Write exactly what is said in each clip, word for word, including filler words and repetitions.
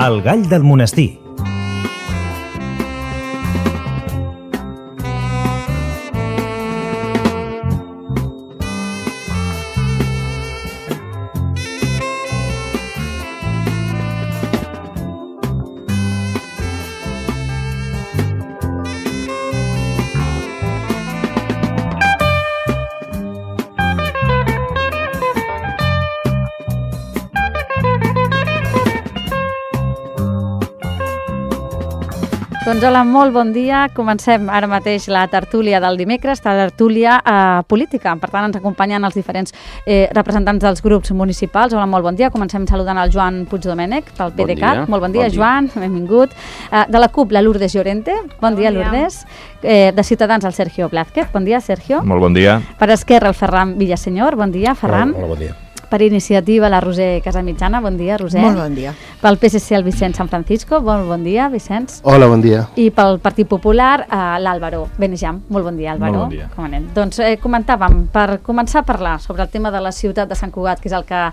El gall del monestir. Doncs hola, molt bon dia. Comencem ara mateix la tertúlia del dimecres, la tertúlia eh, política. Per tant, ens acompanyen els diferents eh, representants dels grups municipals. Hola, molt bon dia. Comencem saludant el Joan Puigdomènech, del P D C A T. Molt bon dia, bon dia. Joan, benvingut. Eh, de la CUP, la Lourdes Llorente. Bon, bon dia, dia, Lourdes. Eh, de Ciutadans, el Sergio Blázquez. Bon dia, Sergio. Molt bon dia. Per Esquerra, el Ferran Villasenyor. Bon dia, Ferran. Hola, hola, bon dia. Per Iniciativa, la Roser Casamitjana. Bon dia, Roser. Molt bon dia. Pel P S C, el Vicent San Francisco. Bon, bon dia, Vicenç. Hola, bon dia. I pel Partit Popular, eh, l'Àlvaro Benejam. Molt bon dia, Àlvaro. Molt bon dia. Com anem? Doncs eh, comentàvem, per començar a parlar sobre el tema de la ciutat de Sant Cugat, que és el que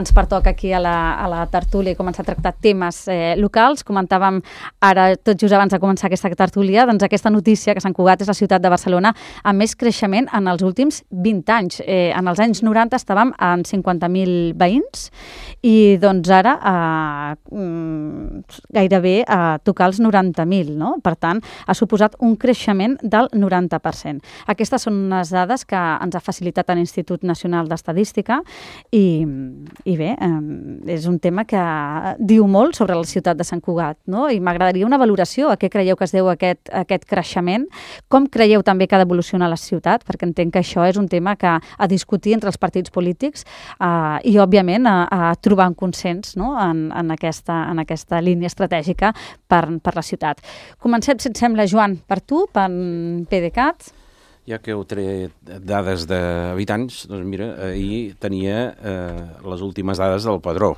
ens pertoca aquí a la, a la tertúlia, i començar a tractar temes eh, locals. Comentàvem ara, tot just abans de començar aquesta tertúlia, doncs aquesta notícia que Sant Cugat és la ciutat de Barcelona amb més creixement en els últims vint anys. Eh, en els anys noranta estàvem en cinquanta mil veïns, i doncs ara eh, gairebé a eh, tocar els noranta mil, no? Per tant, ha suposat un creixement del noranta per cent. Aquestes són unes dades que ens ha facilitat l'Institut Nacional d'Estadística i, i bé, eh, és un tema que diu molt sobre la ciutat de Sant Cugat, no? I m'agradaria una valoració. A què creieu que es deu aquest, aquest creixement? Com creieu també que ha d'evolucionar la ciutat? Perquè entenc que això és un tema que a discutir entre els partits polítics eh, i, òbviament, A, a trobar un consens, no? en, en, aquesta, en aquesta línia estratègica per, per la ciutat. Comencem, si et sembla, Joan, per tu, per P D C A T. Ja que heu tret dades d'habitants, doncs mira, ahir tenia eh, les últimes dades del Padró.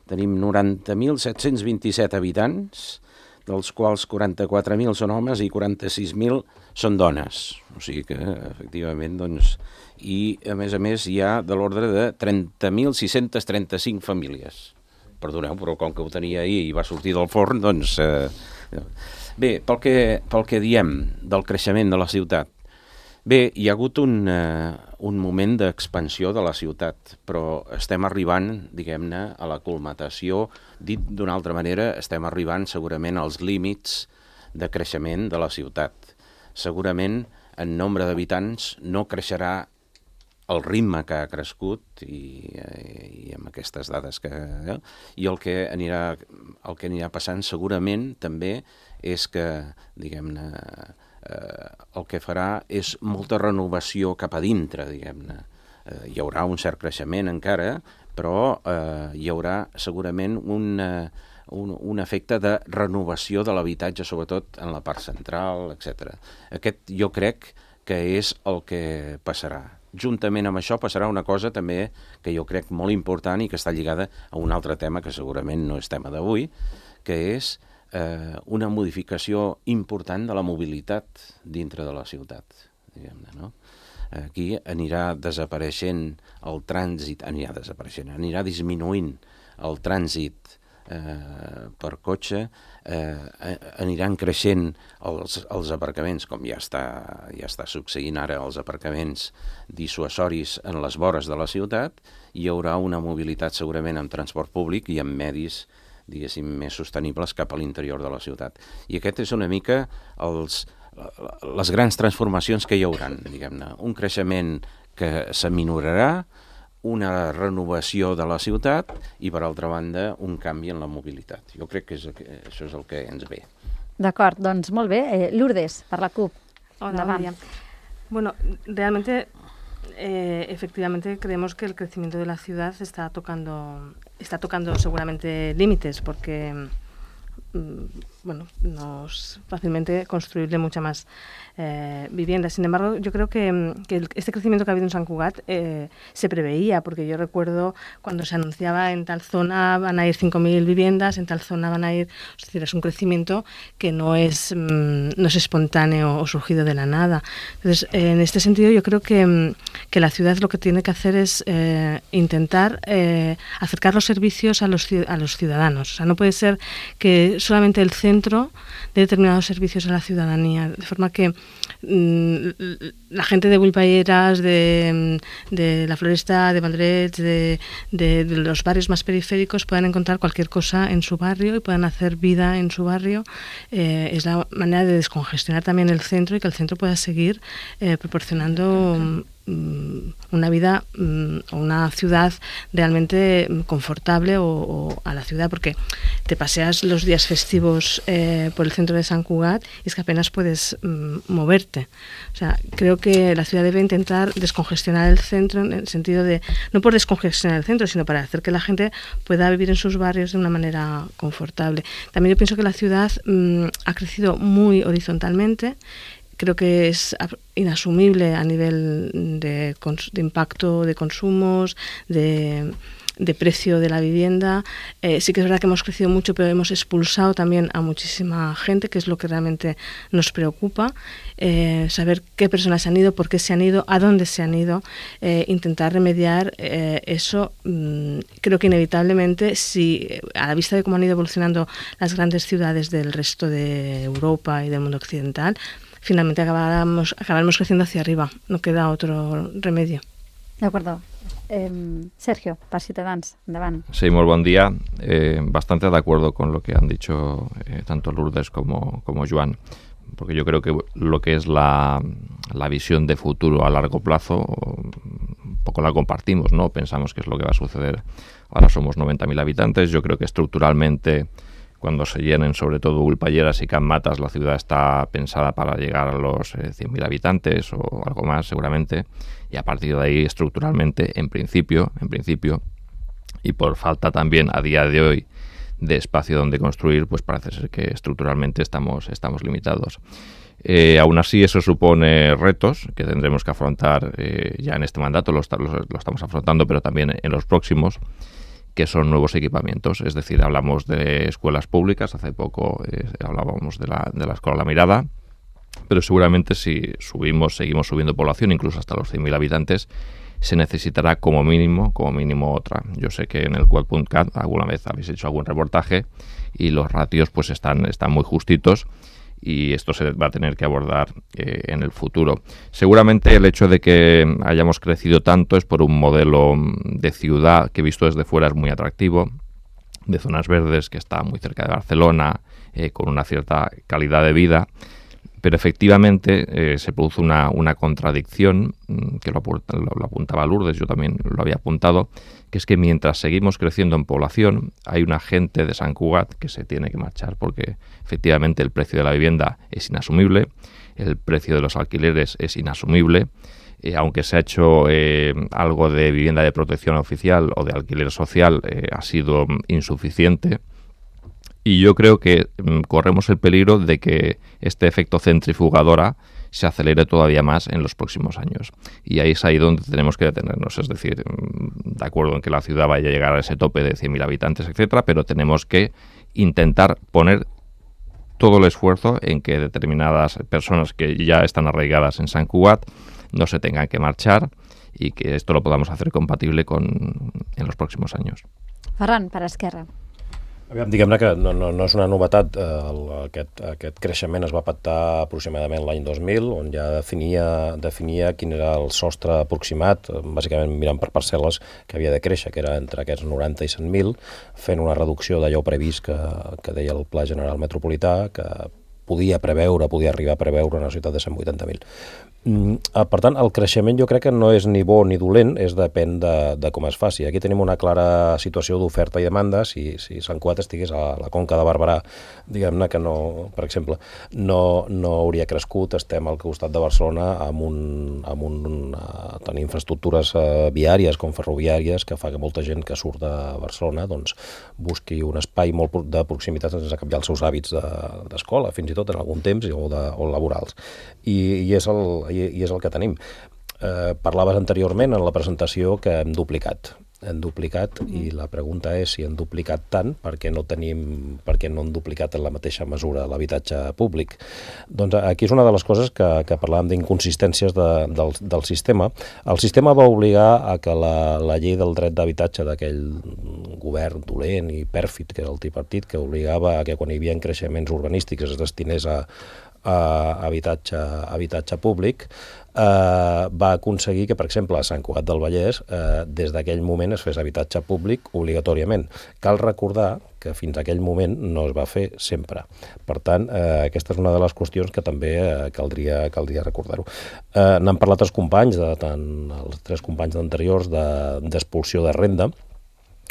Tenim noranta mil set-cents vint-i-set habitants, dels quals quaranta-quatre mil són homes i quaranta-sis mil són dones. O sigui que, efectivament, doncs... I, a més a més, hi ha de l'ordre de trenta mil sis-cents trenta-cinc famílies. Perdoneu, però com que ho tenia ahir i va sortir del forn, doncs... Eh... Bé, pel que, pel que diem del creixement de la ciutat, bé, hi ha hagut un, eh, un moment d'expansió de la ciutat, però estem arribant, diguem-ne, a la culmatació. Dit d'una altra manera, estem arribant segurament als límits de creixement de la ciutat. Segurament, en nombre d'habitants, no creixerà el ritme que ha crescut i, i amb aquestes dades que... Eh? I el que anirà, el que anirà passant segurament també és que, diguem-ne, eh, el que farà és molta renovació cap a dintre, diguem-ne. Eh, hi haurà un cert creixement encara, però eh, hi haurà segurament un, eh, un, un efecte de renovació de l'habitatge, sobretot en la part central, etcètera. Aquest jo crec que és el que passarà. Juntament amb això passarà una cosa també que jo crec molt important i que està lligada a un altre tema que segurament no és tema d'avui, que és eh, una modificació important de la mobilitat dintre de la ciutat, diguem-ne, no? Aquí anirà desapareixent el trànsit, anirà desapareixent, anirà disminuint el trànsit eh, per cotxe, eh, aniran creixent els, els aparcaments, com ja està, ja està succeint ara, els aparcaments dissuasoris en les vores de la ciutat. Hi haurà una mobilitat segurament amb transport públic i amb medis, diguéssim, més sostenibles cap a l'interior de la ciutat. I aquest és una mica els, les grans transformacions que hi hauran, diguem-ne. Un creixement que s'aminorarà, una renovació de la ciutat i, per altra banda, un canvi en la mobilitat. Jo crec que, és, que això és el que ens ve. D'acord, doncs molt bé. Eh, Lourdes, per la CUP. Hola, María. Bueno, realmente, eh, efectivamente, creemos que el crecimiento de la ciudad está tocando, está tocando seguramente límites, porque bueno, no es fácilmente construirle mucha más eh, vivienda. Sin embargo, yo creo que, que el, este crecimiento que ha habido en Sant Cugat eh, se preveía, porque yo recuerdo cuando se anunciaba en tal zona van a ir cinco mil viviendas, en tal zona van a ir... Es decir, es un crecimiento que no es, mm, no es espontáneo o surgido de la nada. Entonces, eh, en este sentido, yo creo que, que la ciudad lo que tiene que hacer es eh, intentar eh, acercar los servicios a los, a los ciudadanos. O sea, no puede ser que solamente el centro de determinados servicios a la ciudadanía, de forma que mmm, la gente de Builpayeras, de, de la Floresta, de Valdrets, de, de, de los barrios más periféricos puedan encontrar cualquier cosa en su barrio y puedan hacer vida en su barrio. Eh, es la manera de descongestionar también el centro y que el centro pueda seguir eh, proporcionando una vida o una ciudad realmente confortable o, o a la ciudad, porque te paseas los días festivos eh, por el centro de Sant Cugat y es que apenas puedes mm, moverte. O sea, creo que la ciudad debe intentar descongestionar el centro en el sentido de, no por descongestionar el centro, sino para hacer que la gente pueda vivir en sus barrios de una manera confortable. También yo pienso que la ciudad mm, ha crecido muy horizontalmente. Creo que es inasumible a nivel de, de impacto de consumos, de, de precio de la vivienda. Eh, sí que es verdad que hemos crecido mucho, pero hemos expulsado también a muchísima gente, que es lo que realmente nos preocupa. Eh, saber qué personas se han ido, por qué se han ido, a dónde se han ido, eh, intentar remediar eh, eso. Mmm, creo que inevitablemente, si a la vista de cómo han ido evolucionando las grandes ciudades del resto de Europa y del mundo occidental, finalmente acabaremos, acabaremos creciendo hacia arriba. No queda otro remedio. De acuerdo. Eh, Sergio, per Ciutadans, endavant. Sí, muy buen día. Eh, bastante de acuerdo con lo que han dicho eh, tanto Lourdes como, como Joan, porque yo creo que lo que es la, la visión de futuro a largo plazo, un poco la compartimos, ¿no? Pensamos que es lo que va a suceder. Ahora somos noventa mil habitantes. Yo creo que estructuralmente, cuando se llenen sobre todo Builpayeras y Can Matas, la ciudad está pensada para llegar a los eh, cien mil habitantes o algo más seguramente, y a partir de ahí estructuralmente, en principio, en principio, y por falta también a día de hoy de espacio donde construir, pues parece ser que estructuralmente estamos, estamos limitados. Eh, aún así, eso supone retos que tendremos que afrontar eh, ya en este mandato, lo, lo, lo estamos afrontando, pero también en los próximos, que son nuevos equipamientos. Es decir, hablamos de escuelas públicas, hace poco eh, hablábamos de la, de la Escuela La Mirada, pero seguramente si subimos, seguimos subiendo población, incluso hasta los cien mil habitantes, se necesitará como mínimo, como mínimo otra. Yo sé que en el Quad punto cat alguna vez habéis hecho algún reportaje y los ratios pues están, están muy justitos, y esto se va a tener que abordar eh, en el futuro. Seguramente el hecho de que hayamos crecido tanto es por un modelo de ciudad que visto desde fuera es muy atractivo, de zonas verdes, que está muy cerca de Barcelona, eh, con una cierta calidad de vida, pero efectivamente eh, se produce una, una contradicción, que lo, lo, lo apuntaba Lourdes, yo también lo había apuntado, que es que mientras seguimos creciendo en población, hay una gente de Sant Cugat que se tiene que marchar, porque efectivamente el precio de la vivienda es inasumible, el precio de los alquileres es inasumible, eh, aunque se ha hecho eh, algo de vivienda de protección oficial o de alquiler social, eh, ha sido insuficiente. Y yo creo que mm, corremos el peligro de que este efecto centrifugadora se acelere todavía más en los próximos años. Y ahí es ahí donde tenemos que detenernos. Es decir, mm, de acuerdo en que la ciudad vaya a llegar a ese tope de cien mil habitantes, etcétera, pero tenemos que intentar poner todo el esfuerzo en que determinadas personas que ya están arraigadas en Sant Cugat no se tengan que marchar, y que esto lo podamos hacer compatible con en los próximos años. Ferran, per Esquerra. Aviam, diguem-ne que no, no, no és una novetat. Eh, el, aquest, aquest creixement es va pactar aproximadament l'any dos mil, on ja definia, definia quin era el sostre aproximat, bàsicament mirant per parcel·les que havia de créixer, que era entre aquests noranta i cent mil, fent una reducció d'allò previst que, que deia el Pla General Metropolità, que podia preveure, podia arribar a preveure una ciutat de cent vuitanta mil. Per tant, el creixement jo crec que no és ni bo ni dolent, és depèn de, de com es faci. Aquí tenim una clara situació d'oferta i demanda. Si, si Sant Cugat estigués a la Conca de Barberà, diguem-ne que no, per exemple, no, no hauria crescut. Estem al costat de Barcelona amb un, amb un uh, tenir infraestructures uh, viàries com ferroviàries que fa que molta gent que surt de Barcelona doncs, busqui un espai molt de proximitat sense canviar els seus hàbits d'escola, de, fins i tot en algun temps, o, de, o laborals. I, i és el I, i és el que tenim. Eh, parlaves anteriorment en la presentació que hem duplicat. Hem duplicat mm. i la pregunta és si hem duplicat tant perquè no tenim, perquè no hem duplicat en la mateixa mesura l'habitatge públic. Doncs aquí és una de les coses que, que parlàvem d'inconsistències de, del, del sistema. El sistema va obligar a que la, la llei del dret d'habitatge d'aquell govern dolent i pèrfid, que era el tripartit, que obligava a que quan hi havia creixements urbanístics es destinés a a habitatge, habitatge públic, eh, va aconseguir que, per exemple, a Sant Cugat del Vallès, eh, des d'aquell moment es fes habitatge públic obligatòriament. Cal recordar que fins a aquell moment no es va fer sempre. Per tant, eh, aquesta és una de les qüestions que també eh, caldria, caldria recordar-ho. Eh, N'han parlat els companys, de, tant els tres companys anteriors, d'expulsió de, de renda,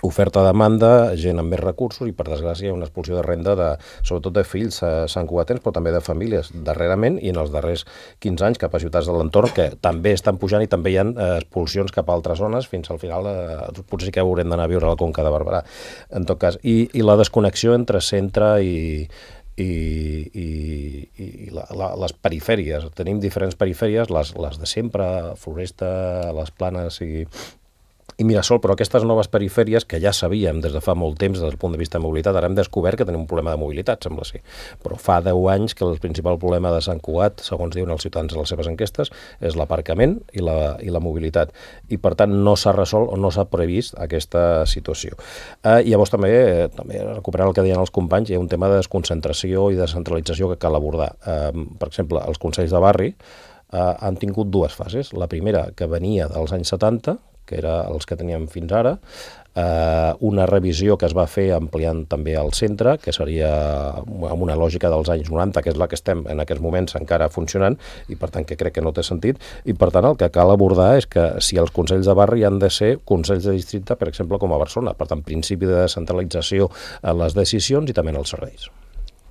oferta-demanda, gent amb més recursos i, per desgràcia, hi ha una expulsió de renda, de, sobretot de fills eh, santcugatens, però també de famílies darrerament i en els darrers quinze anys cap a ciutats de l'entorn que també estan pujant i també hi ha eh, expulsions cap a altres zones fins al final eh, potser sí que haurem d'anar a viure a la Conca de Barberà. En tot cas, i, i la desconnexió entre centre i i, i, i la, la, les perifèries. Tenim diferents perifèries, les, les de sempre, Floresta, les Planes i i Mirasol, però aquestes noves perifèries que ja sabíem des de fa molt temps des del punt de vista de mobilitat, ara hem descobert que tenim un problema de mobilitat, sembla ser. Però fa deu anys que el principal problema de Sant Cugat, segons diuen els ciutadans en les seves enquestes, és l'aparcament i la, i la mobilitat. I per tant no s'ha resolt o no s'ha previst aquesta situació. Eh, i llavors també, eh, també recuperant el que deien els companys, hi ha un tema de desconcentració i descentralització que cal abordar. Eh, per exemple, els consells de barri eh, han tingut dues fases. La primera, que venia dels anys setanta, que era els que teníem fins ara, eh, una revisió que es va fer ampliant també el centre, que seria amb una lògica dels anys noranta, que és la que estem en aquests moments encara funcionant, i per tant que crec que no té sentit, i per tant el que cal abordar és que si els consells de barri han de ser consells de districte, per exemple, com a Barcelona, per tant, principi de descentralització en les decisions i també en els serveis.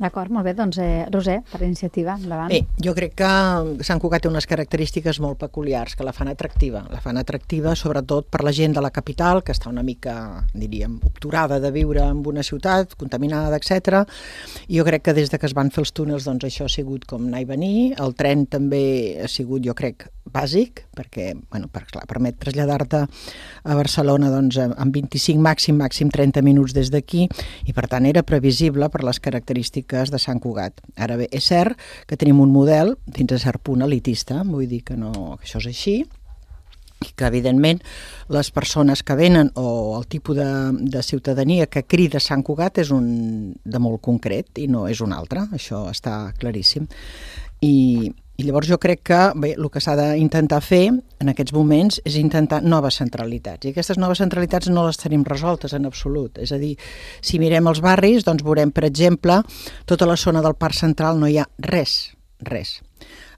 D'acord, molt bé. Doncs, eh, Roser, per iniciativa, endavant. Bé, jo crec que Sant Cugat té unes característiques molt peculiars que la fan atractiva. La fan atractiva sobretot per la gent de la capital, que està una mica, diríem, obturada de viure en una ciutat, contaminada, etcètera. I jo crec que des de que es van fer els túnels, doncs això ha sigut com anar i venir. El tren també ha sigut, jo crec, bàsic, perquè, bueno, per, clar, permet traslladar-te a Barcelona doncs, en vint-i-cinc, màxim, màxim trenta minuts des d'aquí, i per tant era previsible per les característiques de Sant Cugat. Ara bé, és cert que tenim un model fins a cert punt elitista, vull dir que, no, que això és així, i que evidentment les persones que venen o el tipus de, de ciutadania que crida Sant Cugat és un de molt concret i no és un altre, això està claríssim. I, i llavors jo crec que bé, el que s'ha d'intentar fer en aquests moments és intentar noves centralitats, i aquestes noves centralitats no les tenim resoltes en absolut. És a dir, si mirem els barris, doncs veurem, per exemple, tota la zona del Parc Central no hi ha res, res.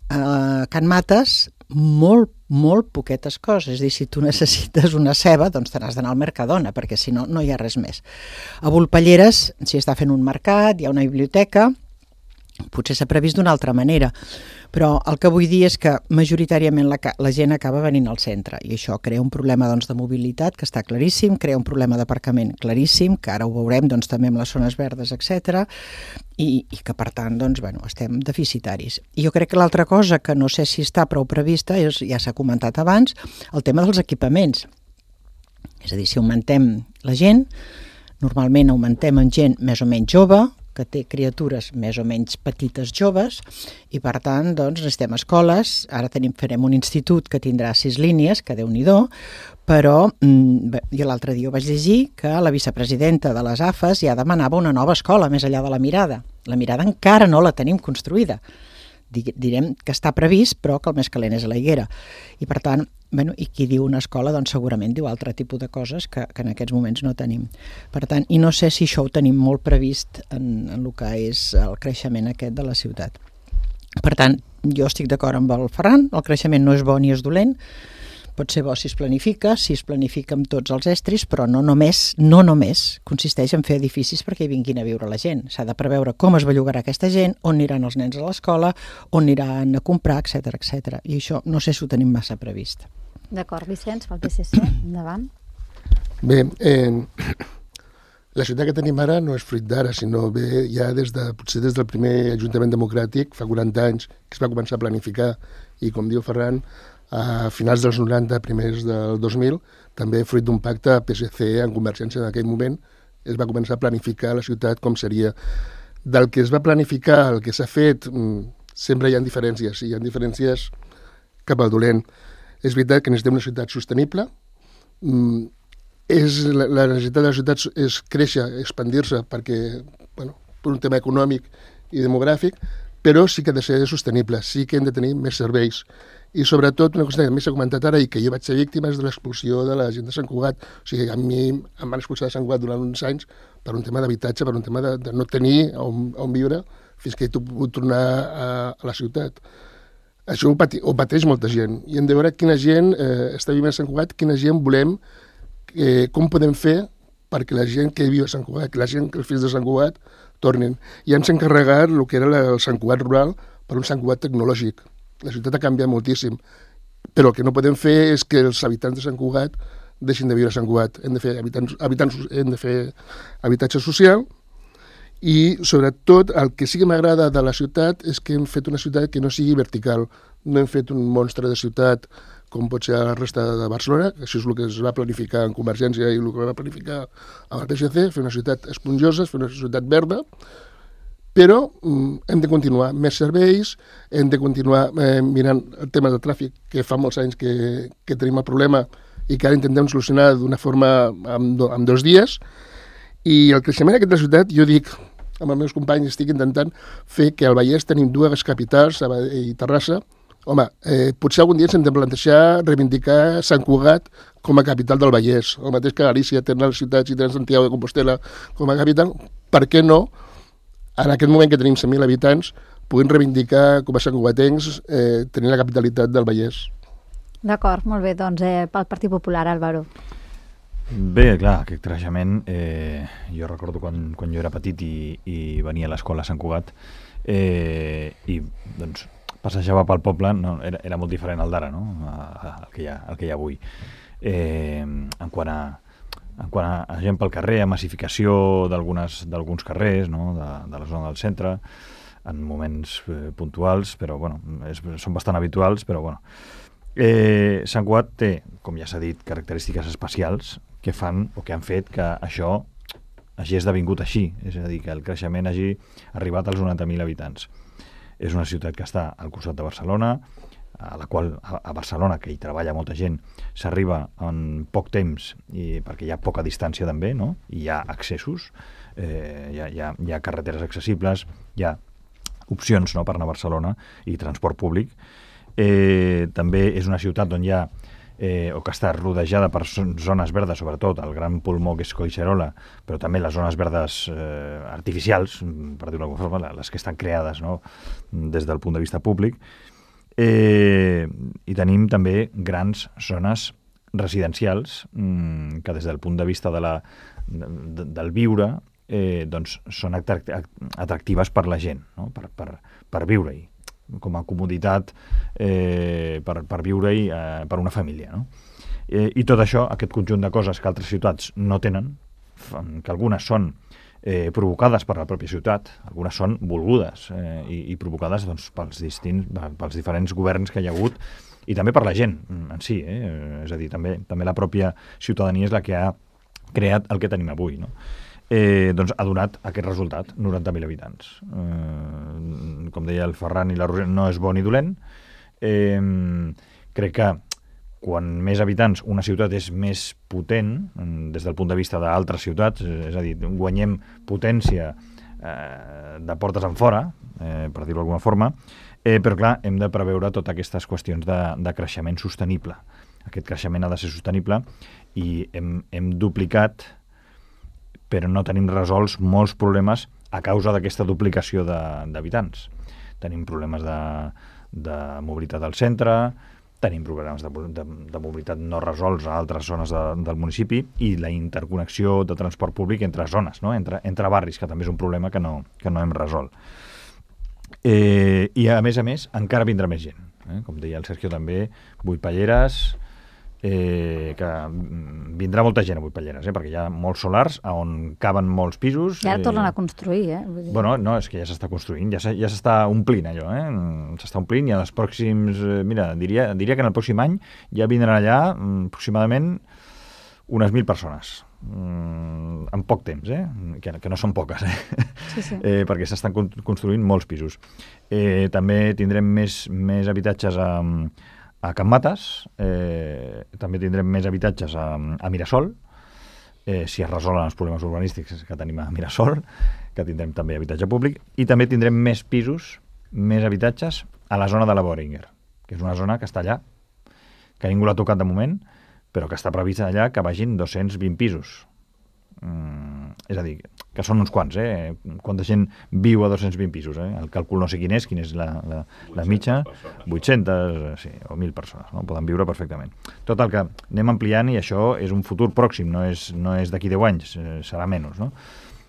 A Can Mates, molt, molt poquetes coses. És a dir, si tu necessites una ceba, doncs te n'has d'anar al Mercadona, perquè si no, no hi ha res més. A Volpelleres s'hi està fent un mercat, hi ha una biblioteca, potser s'ha previst d'una altra manera, però el que vull dir és que majoritàriament la, la gent acaba venint al centre, i això crea un problema doncs, de mobilitat, que està claríssim, crea un problema d'aparcament claríssim, que ara ho veurem doncs, també amb les zones verdes, etcètera, i, i que per tant doncs, bueno, estem deficitaris. I jo crec que l'altra cosa que no sé si està prou prevista, és, ja s'ha comentat abans, el tema dels equipaments. És a dir, si augmentem la gent, normalment augmentem en gent més o menys jove, que té criatures més o menys petites joves, i per tant doncs, necessitem escoles. Ara tenim, farem un institut que tindrà sis línies, que Déu-n'hi-do, però mm, jo l'altre dia ho vaig llegir que la vicepresidenta de les A F A S ja demanava una nova escola més enllà de la Mirada. La Mirada encara no la tenim construïda. Direm que està previst, però que el més calent és a la Higuera. I per tant, bueno, i qui diu una escola, doncs segurament diu altre tipus de coses que, que en aquests moments no tenim. Per tant, i no sé si això ho tenim molt previst en, en el que és el creixement aquest de la ciutat. Per tant, jo estic d'acord amb el Ferran, el creixement no és bo ni és dolent, pot ser bo si es planifica, si es planifica amb tots els estris, però no només, no només consisteix en fer edificis perquè hi vinguin a viure la gent. S'ha de preveure com es bellugarà aquesta gent, on aniran els nens a l'escola, on aniran a comprar, etcètera, etcètera. I això no sé si ho tenim massa previst. D'acord, Vicenç, pel P S C, endavant. Bé, eh, la ciutat que tenim ara no és fruit d'ara, sinó bé ja des de, potser des del primer Ajuntament Democràtic, fa quaranta anys, que es va començar a planificar, i com diu Ferran, a finals dels noranta, primers del dos mil, també fruit d'un pacte P S C en Convergència en aquell moment, es va començar a planificar la ciutat com seria. Del que es va planificar, el que s'ha fet, sempre hi ha diferències, i hi ha diferències cap al dolent. És veritat que necessitem una ciutat sostenible, és, la, la necessitat de la ciutat és créixer, expandir-se, perquè, bueno, per un tema econòmic i demogràfic, però sí que ha de ser sostenible, sí que hem de tenir més serveis. I sobretot, una cosa que més s'ha comentat ara i que jo vaig ser víctima és de l'expulsió de la gent de Sant Cugat. O sigui, a mi em van expulsar de Sant Cugat durant uns anys per un tema d'habitatge, per un tema de, de no tenir on, on viure fins que he pogut tornar a, a la ciutat. Això ho, pati, ho pateix molta gent. I hem de veure quina gent eh, està vivint a Sant Cugat, quina gent volem, eh, com podem fer perquè la gent que viu a Sant Cugat, que la gent que els fills de Sant Cugat tornin. I ens hem encarregat el que era el Sant Cugat rural per un Sant Cugat tecnològic. La ciutat ha canviat moltíssim, però el que no podem fer és que els habitants de Sant Cugat deixin de viure a Sant Cugat. Hem de fer, habitants, habitants, hem de fer habitatge social i, sobretot, el que sí que m'agrada de la ciutat és que hem fet una ciutat que no sigui vertical. No hem fet un monstre de ciutat com pot ser la resta de Barcelona, que això és el que es va planificar en Convergència i el que va planificar amb el P S C, fer una ciutat esponjosa, fer una ciutat verda, però mm, hem de continuar més serveis, hem de continuar eh, mirant el tema del tràfic, que fa molts anys que, que tenim el problema i que ara intentem solucionar d'una forma en, do, en dos dies. I el creixement aquest de la ciutat, jo dic, amb els meus companys estic intentant fer que al Vallès tenim dues capitals, Sabadell i Terrassa. Home, eh, potser algun dia ens hem de plantejar reivindicar Sant Cugat com a capital del Vallès. El mateix que Galícia tenen les ciutats i tenen Santiago de Compostela com a capital. Per què no? En aquest moment que tenim cent mil habitants, puguem reivindicar com a santcugatencs eh, tenir la capitalitat del Vallès. D'acord, molt bé. Doncs eh, pel Partit Popular, Álvaro. Bé, clar, aquest creixement, eh, jo recordo quan, quan jo era petit i, i venia a l'escola a Sant Cugat eh, i doncs passejava pel poble, no, era, era molt diferent al d'ara, no? El que hi ha, el que hi ha avui. Eh, en quant a en quant a gent pel carrer, a massificació d'alguns carrers, no? de, de la zona del centre, en moments eh, puntuals, però bueno, és, són bastant habituals, però bueno. Eh, Sant Cugat té, com ja s'ha dit, característiques especials que fan o que han fet que això hagi esdevingut així, és a dir, que el creixement hagi arribat als noranta mil habitants. És una ciutat que està al costat de Barcelona, a la qual a Barcelona, que hi treballa molta gent, s'arriba en poc temps i perquè hi ha poca distància també, no? I hi ha accessos, eh, hi, ha, hi, ha, hi ha carreteres accessibles, hi ha opcions, no?, per anar a Barcelona i transport públic. Eh, també és una ciutat on hi ha eh, o que està rodejada per zones verdes, sobretot el gran pulmó que és Collserola, però també les zones verdes eh, artificials, per dir-ho d'alguna forma, les que estan creades, no?, des del punt de vista públic. Eh, i tenim també grans zones residencials mmm, que des del punt de vista de la, de, del viure eh, doncs són atractives per la gent, no? per, per, per viure-hi com a comoditat eh, per, per viure-hi eh, per una família, no? Eh, i tot això, aquest conjunt de coses que altres ciutats no tenen, que algunes són Eh, provocades per la pròpia ciutat, algunes són volgudes eh, i, i provocades doncs, pels, distints, pels diferents governs que hi ha hagut i també per la gent en si, eh? És a dir, també, també la pròpia ciutadania és la que ha creat el que tenim avui, no? Eh, doncs ha donat aquest resultat, noranta mil habitants. Eh, com deia el Ferran i la Roser, no és bo ni dolent. Eh, crec que quan més habitants una ciutat és més potent des del punt de vista d'altres ciutats, és a dir, guanyem potència eh, de portes en fora, eh, per dir-ho d'alguna forma, eh, però clar, hem de preveure totes aquestes qüestions de, de creixement sostenible. Aquest creixement ha de ser sostenible i hem, hem duplicat, però no tenim resolts molts problemes a causa d'aquesta duplicació d'habitants. Tenim problemes de de mobilitat al centre, tenim problemes de, de, de mobilitat no resolts a altres zones de, del municipi i la interconnexió de transport públic entre zones, no? entre, entre barris, que també és un problema que no, que no hem resolt. Eh, I, a més a més, encara vindrà més gent. Eh? Com deia el Sergio també, Vuitpalleres, eh, que vindrà molta gent a Vuitpalleres, eh? perquè hi ha molts solars on caben molts pisos. I ara eh, tornen a construir, eh? Vull dir... Bueno, no, és que ja s'està construint, ja s'està ja omplint allò, eh? S'està omplint i en els pròxims... Eh, mira, diria, diria que en el pròxim any ja vindran allà mm, aproximadament unes mil persones. Mm, en poc temps, eh? que, que no són poques, eh? Sí, sí. eh, perquè s'estan construint molts pisos. Eh, també tindrem més, més habitatges a, a Can Mates, eh, també tindrem més habitatges a, a Mirasol, eh, si es resolen els problemes urbanístics que tenim a Mirasol, que tindrem també habitatge públic, i també tindrem més pisos, més habitatges a la zona de la Boehringer, que és una zona que està allà, que ningú l'ha tocat de moment, però que està previst allà que vagin dos-cents vint pisos. Mm, és a dir, que són uns quants, eh? Quanta gent viu a dos-cents vint pisos, eh? El càlcul no sé quin és, quin és la, la, la mitja, vuit-centes, sí, o mil persones, no? Poden viure perfectament. Tot el que anem ampliant i això és un futur pròxim, no és, no és d'aquí deu anys, eh, serà menys, no?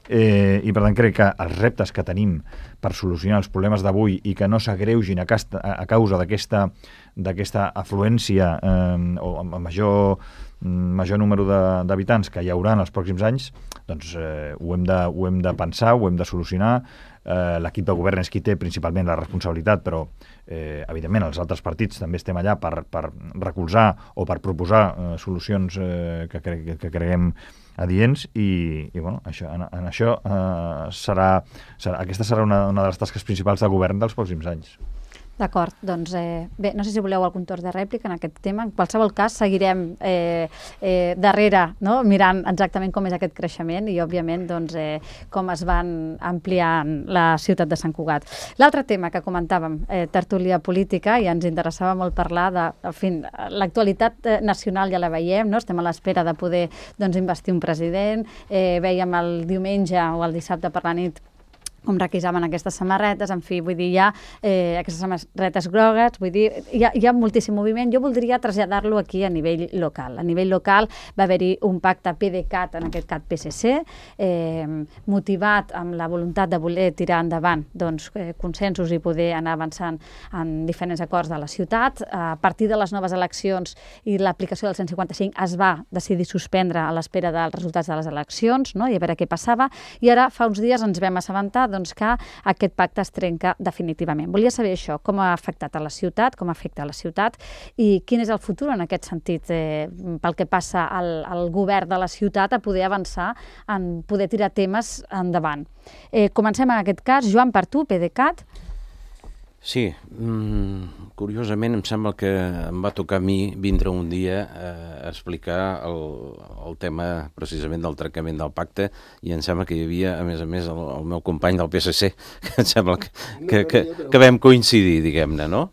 Eh, i per tant crec que els reptes que tenim per solucionar els problemes d'avui i que no s'agreugin a, casta, a causa d'aquesta d'aquesta afluència eh, o amb major, major número d'habitants que hi haurà en els pròxims anys, doncs eh, ho, hem de, ho hem de pensar, ho hem de solucionar. Eh, l'equip de govern és qui té principalment la responsabilitat, però eh, evidentment els altres partits també estem allà per, per recolzar o per proposar eh, solucions eh, que, cre que creguem adients i, i bueno, això, en, en això eh, serà, serà, aquesta serà una, una de les tasques principals del govern dels pròxims anys. D'acord, doncs eh, bé, no sé si voleu algun torn de rèplica en aquest tema. En qualsevol cas, seguirem eh, eh, darrere, no? Mirant exactament com és aquest creixement i, òbviament, doncs, eh, com es van ampliant la ciutat de Sant Cugat. L'altre tema que comentàvem, eh, tertúlia política, i ens interessava molt parlar de, en fi, l'actualitat eh, nacional ja la veiem, no? Estem a l'espera de poder doncs, investir un president. Eh, veiem el diumenge o el dissabte per la nit com requisaven aquestes samarretes, en fi, vull dir, hi ha eh, aquestes samarretes grogues, vull dir, hi ha, hi ha moltíssim moviment. Jo voldria traslladar-lo aquí a nivell local. A nivell local va haver-hi un pacte PDeCAT, en aquest cas P S C, eh, motivat amb la voluntat de voler tirar endavant doncs, eh, consensos i poder anar avançant en diferents acords de la ciutat. A partir de les noves eleccions i l'aplicació del cent cinquanta-cinc es va decidir suspendre a l'espera dels resultats de les eleccions, no? I a veure què passava. I ara, fa uns dies, ens vam assabentar doncs, que aquest pacte es trenca definitivament. Volia saber això, com ha afectat a la ciutat, com afecta a la ciutat i quin és el futur en aquest sentit eh, pel que passa al, al govern de la ciutat a poder avançar en poder tirar temes endavant. Eh, comencem en aquest cas. Joan, per tu, PDeCAT. Sí, mm, curiosament em sembla que em va tocar a mi vindre un dia a explicar el, el tema precisament del trencament del pacte i em sembla que hi havia, a més a més, el, el meu company del P S C, que em sembla que, que, que, que vam coincidir, diguem-ne, no?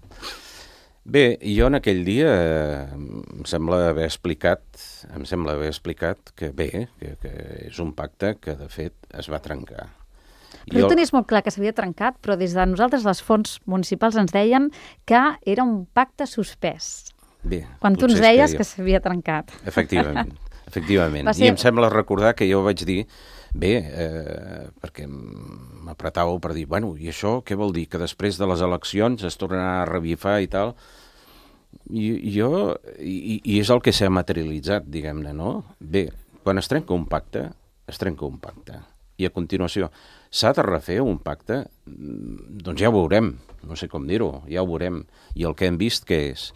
Bé, jo en aquell dia eh, em sembla haver explicat, em sembla haver explicat que bé, que, que és un pacte que de fet es va trencar. Però tu tenies molt clar que s'havia trencat, però des de nosaltres les fonts municipals ens deien que era un pacte suspès. Bé, quan tu ens deies que s'havia trencat. Efectivament, efectivament. ser... I em sembla recordar que jo vaig dir, bé, eh, perquè m'apretàveu per dir, bueno, i això què vol dir? Que després de les eleccions es tornarà a revifar i tal? I, i jo, i, i és el que s'ha materialitzat, diguem-ne, no? Bé, quan es trenca un pacte, es trenca un pacte. I a continuació, s'ha de refer un pacte? Doncs ja ho veurem, no sé com dir-ho, ja ho veurem. I el que hem vist que és,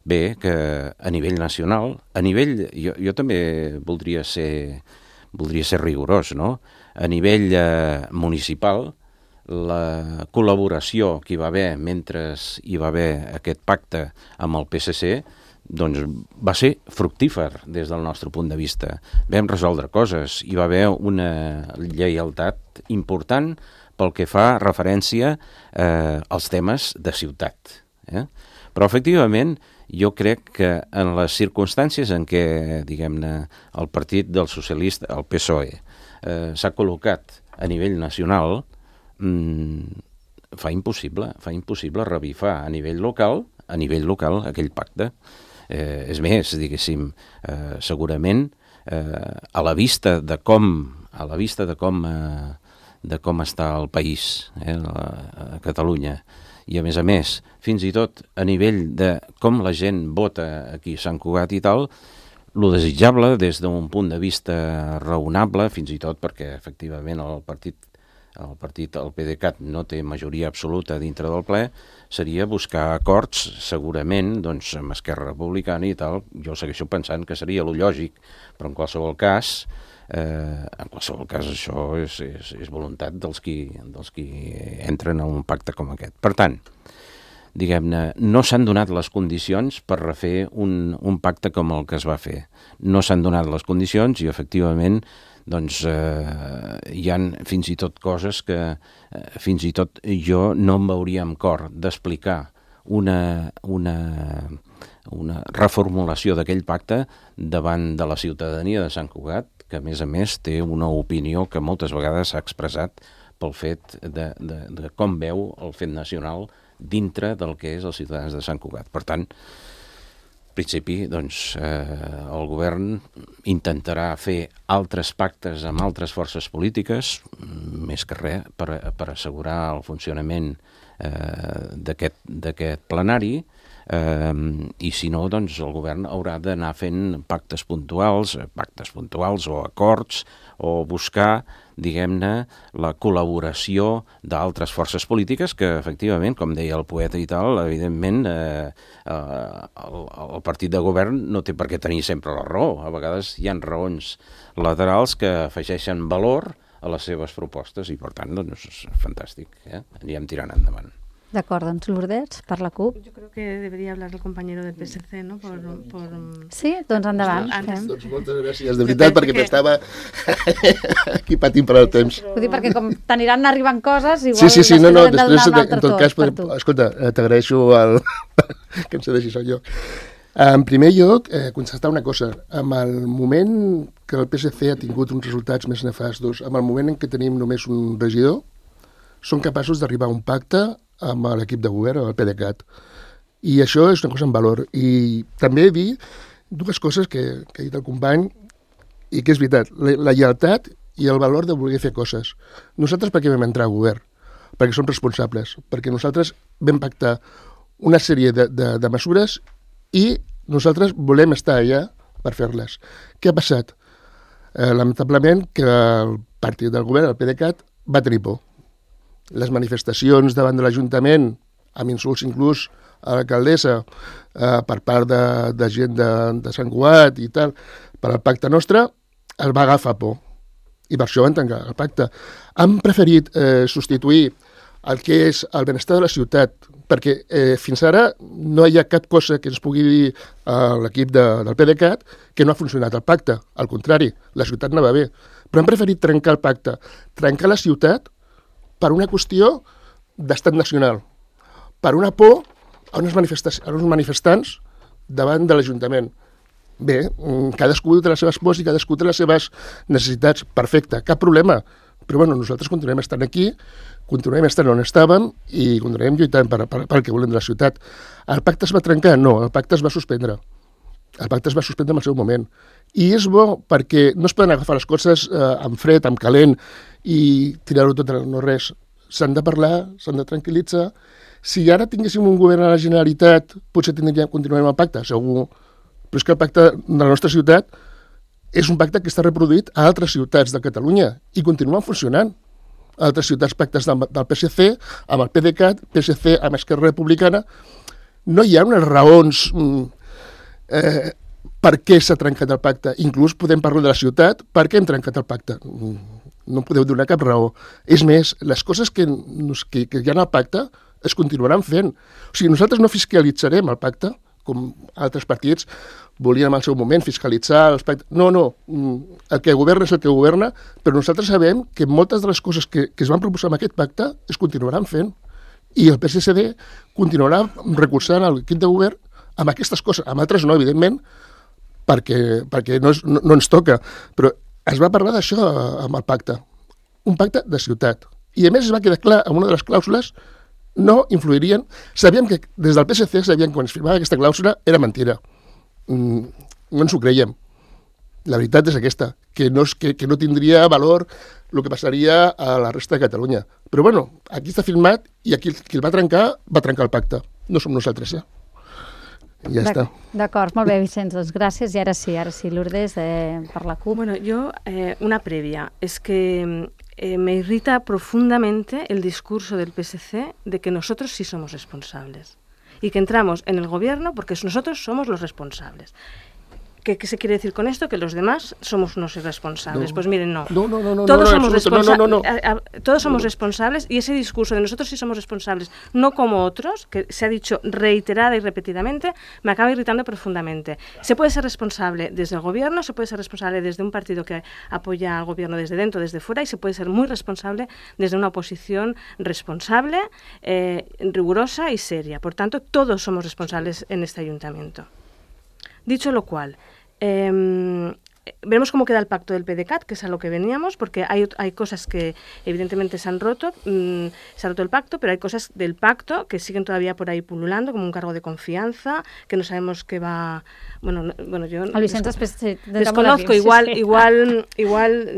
bé, que a nivell nacional, a nivell, jo, jo també voldria ser, voldria ser rigorós, no? A nivell eh, municipal, la col·laboració que hi va haver mentre hi va haver aquest pacte amb el P S C, doncs va ser fructífer des del nostre punt de vista. Vam resoldre coses, hi va haver una lleialtat important pel que fa referència eh, als temes de ciutat. Eh? Però, efectivament, jo crec que en les circumstàncies en què, diguem-ne, el partit del socialista, el P S O E, eh, s'ha col·locat a nivell nacional, mmm, fa impossible, fa impossible revifar a nivell local, a nivell local aquell pacte. Eh, és més, diguéssim, eh, segurament eh, a la vista de com, a la vista de com, eh, de com està el país, eh, a, a Catalunya, i a més a més, fins i tot a nivell de com la gent vota aquí a Sant Cugat i tal, lo desitjable des d'un punt de vista raonable, fins i tot perquè efectivament el partit, el partit, el PDeCAT no té majoria absoluta dintre del ple, seria buscar acords segurament doncs, amb Esquerra Republicana i tal. Jo segueixo pensant que seria lo lògic, però en qualsevol cas, eh, en qualsevol cas això és, és, és voluntat dels qui, dels qui entren a un pacte com aquest. Per tant, diguem-ne, no s'han donat les condicions per refer un, un pacte com el que es va fer. No s'han donat les condicions i, efectivament, doncs, eh, hi ha fins i tot coses que eh, fins i tot jo no em veuria amb cor d'explicar una, una, una reformulació d'aquell pacte davant de la ciutadania de Sant Cugat, que, a més a més, té una opinió que moltes vegades s'ha expressat pel fet de, de, de com veu el fet nacional dintre del que és els ciutadans de Sant Cugat. Per tant, en principi, doncs, eh, el govern intentarà fer altres pactes amb altres forces polítiques, més que res, per, per assegurar el funcionament eh, d'aquest plenari, eh, i si no, doncs, el govern haurà d'anar fent pactes puntuals, pactes puntuals o acords, o buscar, diguem-ne, la col·laboració d'altres forces polítiques que, efectivament, com deia el poeta i tal, evidentment, eh, eh, el, el partit de govern no té per què tenir sempre la raó. A vegades hi ha raons laterals que afegeixen valor a les seves propostes i, per tant, doncs, és fantàstic. Eh? Anirem tirant endavant. D'acord, doncs Lourdes, per la CUP. Yo creo que debería hablar el compañero del P S C, ¿no? Por, por... Sí, doncs endavant. Antes... Doncs moltes gràcies, de veritat, perquè m'estava aquí patint per el temps. Vull dir, perquè com t'aniran arribant coses, igual sí, sí, sí, no, no, hem de després, donar un altre en tot cas, per podem... tu. Escolta, eh, t'agraeixo el... que em cedeixis el lloc. En primer lloc, eh, constatar una cosa. En el moment que el P S C ha tingut uns resultats més nefastos, en el moment en què tenim només un regidor, són capaços d'arribar a un pacte amb l'equip de govern, amb el PDeCAT. I això és una cosa en valor. I també dir dues coses que, que ha dit el company i que és veritat. La, la lleialtat i el valor de voler fer coses. Nosaltres per què vam entrar al govern? Perquè som responsables. Perquè nosaltres vam pactar una sèrie de, de, de mesures i nosaltres volem estar allà per fer-les. Què ha passat? Eh, lamentablement que el partit del govern, el PDeCAT, va tenir por. Les manifestacions davant de l'Ajuntament, amb insults inclús a l'alcaldessa eh, per part de, de gent de, de Sant Cugat i tal, per al pacte nostre, el va agafar por. I per això van tancar el pacte. Han preferit eh, substituir el que és el benestar de la ciutat, perquè eh, fins ara no hi ha cap cosa que ens pugui dir a l'equip de, del PDeCAT que no ha funcionat el pacte. Al contrari, la ciutat anava bé. Però han preferit trencar el pacte, trencar la ciutat per una qüestió d'estat nacional, per una por a uns, a uns manifestants davant de l'Ajuntament. Bé, cadascú té les seves pors i cadascú té les seves necessitats. Perfecte, cap problema. Però bueno, nosaltres continuem estant aquí, continuem estant on estàvem i continuem lluitant per, per, per el que volem de la ciutat. El pacte es va trencar? No, el pacte es va suspendre. El pacte es va suspendre en el seu moment. I és bo perquè no es poden agafar les coses eh, amb fred, amb calent i tirar-ho tot en no res. S'han de parlar, s'han de tranquil·litzar. Si ara tinguéssim un govern a la Generalitat, potser tindríem, continuarem el pacte, segur. Però és que el pacte de la nostra ciutat és un pacte que està reproduït a altres ciutats de Catalunya i continuen funcionant. A altres ciutats pactes del, del P S C, amb el PDeCAT, P S C amb Esquerra Republicana. No hi ha unes raons eh, per què s'ha trencat el pacte. Inclús podem parlar de la ciutat, per què hem trencat el pacte. No podeu donar cap raó. És més, les coses que, que, que hi ha al pacte es continuaran fent. O sigui, nosaltres no fiscalitzarem el pacte, com altres partits volien en el seu moment fiscalitzar els pactes. No, no, el que governa és el que governa, però nosaltres sabem que moltes de les coses que, que es van proposar en aquest pacte es continuaran fent. I el P S C D continuarà recolzant l'equip de govern amb aquestes coses, amb altres no, evidentment, perquè, perquè no, és, no, no ens toca. Però es va parlar d'això amb el pacte. Un pacte de ciutat. I a més es va quedar clar amb una de les clàusules no influirien. Sabíem que, des del P S C, sabíem que quan es firmava aquesta clàusula era mentira. Mm, no ens ho creiem. La veritat és aquesta, que no, és, que, que no tindria valor el que passaria a la resta de Catalunya. Però bueno, aquí està firmat i aquí qui el va trencar, va trencar el pacte. No som nosaltres, ja. I ja està. D'acord, molt bé, Vicenç, doncs gràcies. I ara sí, ara sí, Lourdes, eh, per la CUP. Bueno, yo, eh, una previa, es que eh, me irrita profundamente el discurso del P S C de que nosotros sí somos responsables y que entramos en el gobierno porque nosotros somos los responsables. ¿Qué, ¿Qué se quiere decir con esto? Que los demás somos unos irresponsables. No. Pues miren, no. No, no, no, no, todos no, somos no, responsables. no, no, no. Todos somos responsables y ese discurso de nosotros sí somos responsables, no como otros, que se ha dicho reiterada y repetidamente, me acaba irritando profundamente. Se puede ser responsable desde el gobierno, se puede ser responsable desde un partido que apoya al gobierno desde dentro, desde fuera, y se puede ser muy responsable desde una oposición responsable, eh, rigurosa y seria. Por tanto, todos somos responsables en este ayuntamiento. Dicho lo cual, eh, veremos cómo queda el pacto del P D C A T, que es a lo que veníamos, porque hay, hay cosas que evidentemente se han roto, mmm, se ha roto el pacto, pero hay cosas del pacto que siguen todavía por ahí pululando, como un cargo de confianza, que no sabemos qué va... Bueno, no, bueno yo el Vicent després sí, de desconozco, igual, sí, sí. igual, igual,